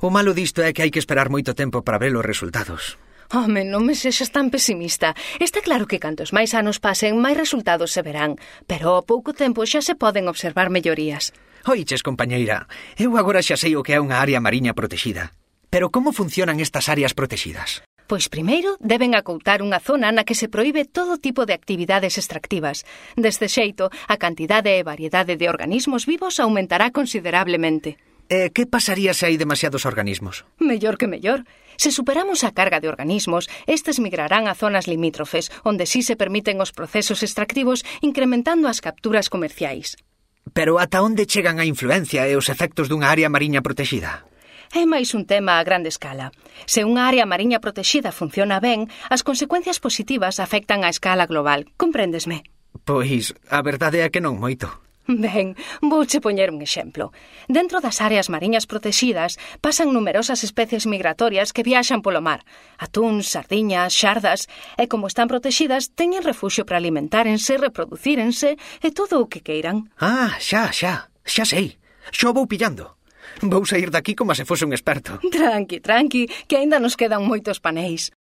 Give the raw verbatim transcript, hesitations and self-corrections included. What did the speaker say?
O malo disto é que hai que esperar moito tempo para ver os resultados. Home, non me sexas tan pesimista. Está claro que cantos máis anos pasen, máis resultados se verán. Pero ao pouco tempo xa se poden observar mellorías. Oiches, compañeira, eu agora xa sei o que é unha área mariña protexida. Pero como funcionan estas áreas protexidas? Pois primeiro deben acoutar unha zona na que se proíbe todo tipo de actividades extractivas. Deste xeito, a cantidade e variedade de organismos vivos aumentará considerablemente. E que pasaría se hai demasiados organismos? Mellor que mellor. Se superamos a carga de organismos, estes migrarán a zonas limítrofes, onde sí se permiten os procesos extractivos, incrementando as capturas comerciais. Pero ata onde chegan a influencia e os efectos dunha área mariña protexida? É máis un tema a grande escala. Se unha área mariña protexida funciona ben, as consecuencias positivas afectan a escala global. Compréndesme? Pois, a verdade é que non moito. Ben, vouche poñer un exemplo. Dentro das áreas mariñas protexidas pasan numerosas especies migratorias que viaxan polo mar. Atúns, sardiñas, xardas, e como están protexidas, teñen refuxio para alimentárense, reproducírense e todo o que queiran. Ah, xa, xa, xa sei. Xo vou pillando. Vou sair daqui como se fose un experto. Tranqui, tranqui, que aínda nos quedan moitos paneis.